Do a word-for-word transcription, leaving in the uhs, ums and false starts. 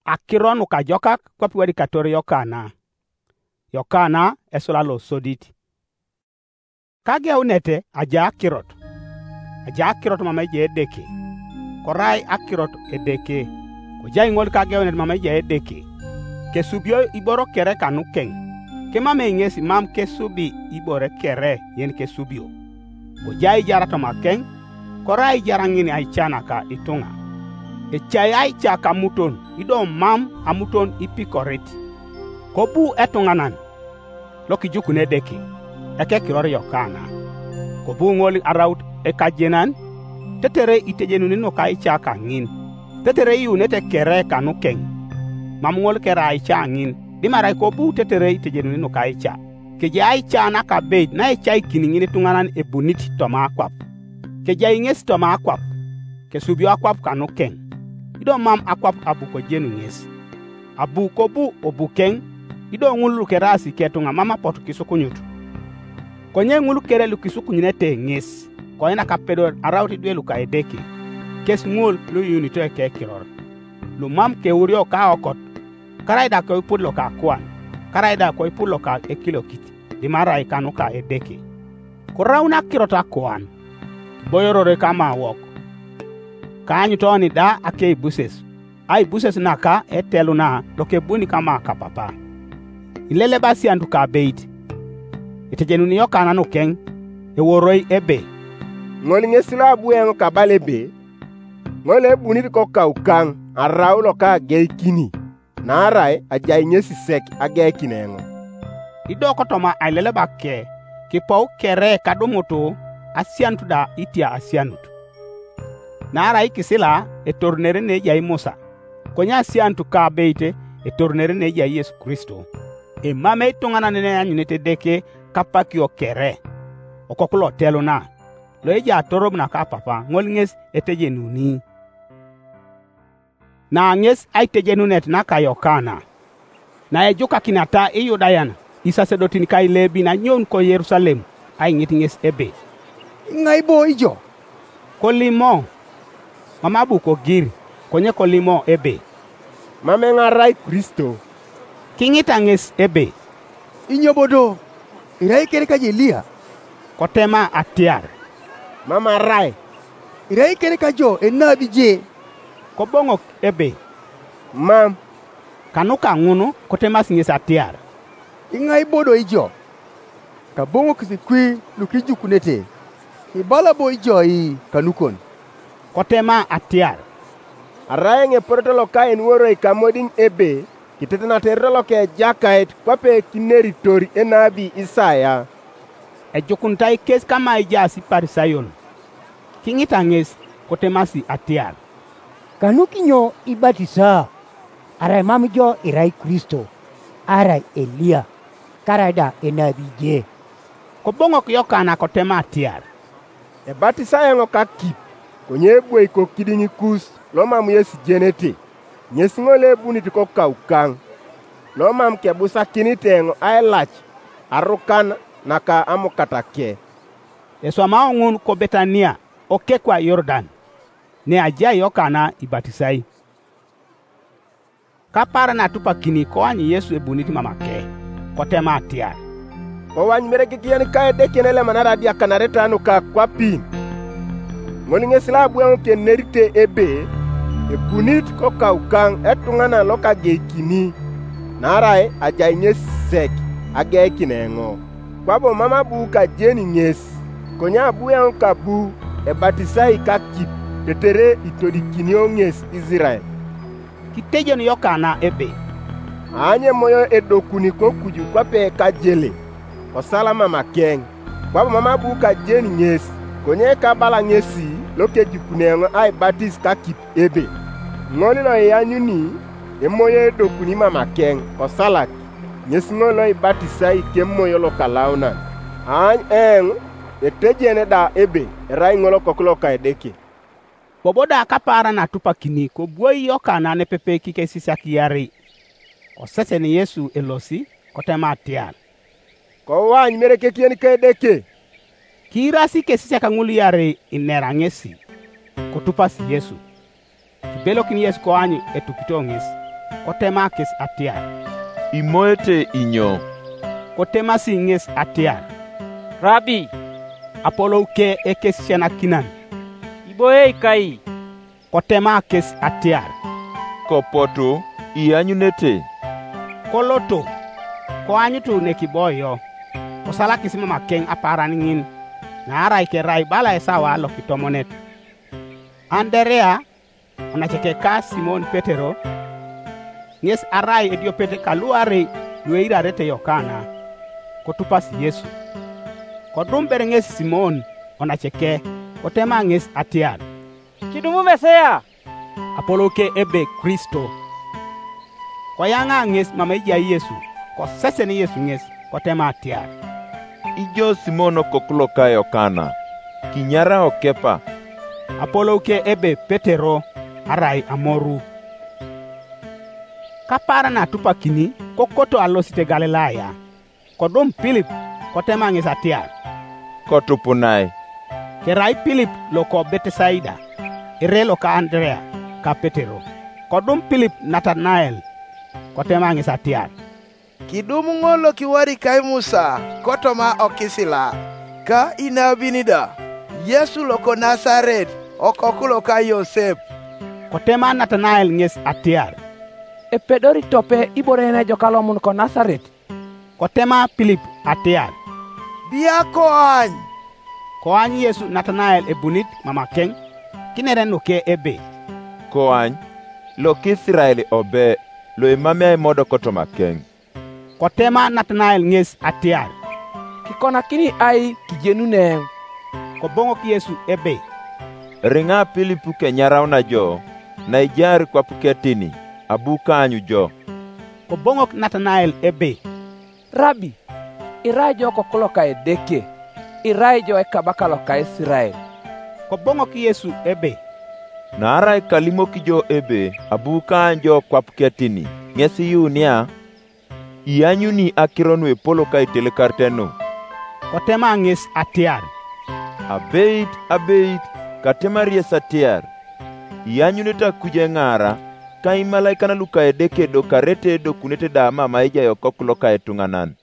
Akiro nukajokak kwape iwadikator Yokana. Yokana esula losodit. Kageunet aja akirot, aja akirot mam ejai Edeke, korai akirot Edeke, kojai ŋol kageunet mam ejai Edeke. Kesubio iboro kere kanukeŋ, kimamei ŋes mam kesubi ibore kere yen kesubio. Kojai aijar toma keŋ, korai aijar ŋin aica naka ituŋa. Ecai aica kamuton, ido mam amuton ipikorit. Kobu etuŋanan lokijukun Edeke, ekekiror Yokana. Kobu ŋol araut ekajenan, tetere itejenuni nuka ica kaŋin, tetere iyuunete kere kanukeŋ, mam ŋol kere aica ŋin, dimarai kobu tetere itejenuni nuka ica. Kejai aica nakabeit naecaikini ŋin ituŋanan ebunit toma akwap. Kejai ŋes toma akwap, kesubio akwap kanukeŋ, ido mam akwap abu kojenu ŋes. Abu kobu obukeŋ, ido ŋul lukeraasi ketuŋa mam apotu kisukunyut. Konye ŋul kere lukisukunyunete ŋes, koinak apedor araut idwe luka Edeke, kes ŋol luyuunito ekekiror, lumam keurio kaokot, karai da koipul loka akuan, karai da koipul loka ekilokit, dimarai kanuka Edeke. Koraun akirot akuan, kiboyorore kama wok, kaanyut oni da akeibuses, aibuses naka eteluna lokebuni kama kapapa. Ileleba asianut kabeit, etejenuni Yokana nukeŋ, eworoi ebe, "Ŋol ŋes lo abu eoŋ kabala ebe, ŋol ebunit kokaukaŋ arau loka ageikini, naarai ajai ŋes sek ageikin eoŋ." Ido kotoma aileleba ke, kipou kere kadumutu asianut da itia asianut. Naarai ikisila etorunere neejai Musa, konye asianut kabeit etorunere neejai Yesu Kristo. Emamei ituŋanan neanyunete Edeke kapakio kere, okoku loteluna, loejai atorop naka Papa, ŋol ŋes etejenuni. Na ŋes aitejenunet naka Yokana, naejukakinata Iyudayan isasedotin ka Ilebi nanyoun ko Yerusalem aiŋit ŋes ebe, "Iŋai bo ijo?" Kolimo, mam abu kogir, konye kolimo ebe, "Mam eoŋ arai Kristo." Kiŋita ŋes ebe, "Inyo bo do, irai kere ka Eliya?" Kotema atiar, "Mam arai." "Irai kere ka jo enabi je?" Koboŋok ebe, "Mam." Kanuka ŋun kotemasi ŋes atiar, "Iŋai bo do ijo?" Kaboŋokis kwi lukijukunete, "Ibala bo ijo i kanukon?" Kotema atiar, "Arai eoŋ eporoto loka enuoroi kamodiŋ ebe, kitetenata erot loka Ejakait kwape kineritor enabi Isaya." Ejukunitai kes kama ejaas Iparisayon, kiŋita ŋes, kotemasi atiar, "Kanukinyo ibatisa? Arai mam jo irai Kristo, arai Eliya, karaida enabi je?" Koboŋok Yokana kotema atiar, "Ebatisa eoŋ kakip, konye ebwoi kokidiŋ kus lomam yesijenete, ŋes ŋol ebunit kokaukaŋ, lomam kebusakinit eoŋ ailac arukan naka amukatake." Eswamao ŋun ko Betania, okekwa Yordan, ne ajai Yokana ibatisai. Kapaaran atupakini koany Yesu ebunit mamake, kotema atiar, "Kowany mere kikiyen ka Edeke elemanara adiakanareta nuka akwapin. Ŋol ŋes lo abu eoŋ kenerite ebe, ebunit kokaukaŋ etuŋanan lokageikini, naarai ajai ŋes sek ageikin eoŋ, kwabo mam abu kajeni ŋes, konye abu eoŋ kabu ebatisai kakip, tetere itodikinio ŋes Isirael." Kitejen Yokana ebe, "Aany emoyo edokuni kokuju kwape kajele, kosala mamakeŋ, kwabo mam abu kajeni ŋes, konye kabala ŋesi lokejukun eoŋ aibatis kakip ebe, ŋol loianyuni emoyo edokuni mamakeŋ, kosalak, ŋes ŋol loibatisai kemoyo lokalaunan. Aany eoŋ etejene da ebe erai ŋol Okoku loka Edeke." Bobo da kapaaran atupakini kobwoi Yokana nepepe kikesisiak iarei. Kosesen Yesu elosi, kotema atiar, "Kowany mere kekiyen ka Edeke." Kiirasi ikesisiak ŋul iarei inera ŋesi, kotupasi Yesu. Kibelokin Yesu koany etupito ŋes. kotema kes atiar, "Imoete inyo?" Kotemasi ŋes atiar, "Rabi, apolou ke ekesisianakinan, iboiei kai?" Kotema kes atiar, "Kopotu, ianyunete." Koloto, koanyutu nekiboyo, kosalakis mamakeŋ apaaran ŋin, naarai kerai bala esawa lokitomonet. Anderea, onaceke ka Simon Petero, ŋes arai ediopet kaluarei lueirarete Yokana, kotupas Yesu. Kodum ber ŋes Simon onaceke, kotema ŋes atiar, "Kidumu Mesia," apolou ke ebe Kristo. Koyaŋa ŋes mama ejai Yesu, kosesen Yesu ŋes, kotema atiar, "Ijo Simon okoku loka Yokana, kinyarao Kepa." Apolou ke ebe Petero, arai amoru. Kapaaran atupakini, kokoto alosit Galilaya. Kodum Pilip, kotema ŋes atiar, "Kotupunai." Kerai Pilip loko Betesaida, ere loka Anderea ka Petero. Kodum Pilip Natanael, kotema ŋes atiar, "Kidum ŋol lokiwarikai Musa kotoma okisila, ka inabin da, Yesu loko Nasaret, okoku loka Yosep." Kotema Natanael ŋes atiar, "Epedori tope ibore yen ejok alomun ko Nasaret?" Kotema Pilip atiar, "Bia koany." Koany Yesu Natanael ebunit mamakeŋ, kinere nuke ebe, "Koany, lokisirael obe, loemamei aimodok tomakeŋ." Kotema Natanael ŋes atiar, "Kikonakini ai kijenun eoŋ?" Koboŋok Yesu ebe, "Eriŋa Pilip kenyarauna jo, naijaar kwap ketini, abu kaanyu jo." Koboŋok Natanael ebe, "Rabi, irai jo okoku loka Edeke, irai jo ekabaka loka Isirael." Koboŋok Yesu ebe, "Naarai kalimok jo ebe abu kaany jo kwap ketini, ŋes iyuunia? Ianyuni akiro nuepol ka itelekarete nu?" Kotema ŋes atiar, "Abeit, abeit, katemari yes atiar, ianyunete akuj eŋaara, ka imalaikan luka Edeke edokarete edokunete da mama ejai Okoku loka etuŋanan."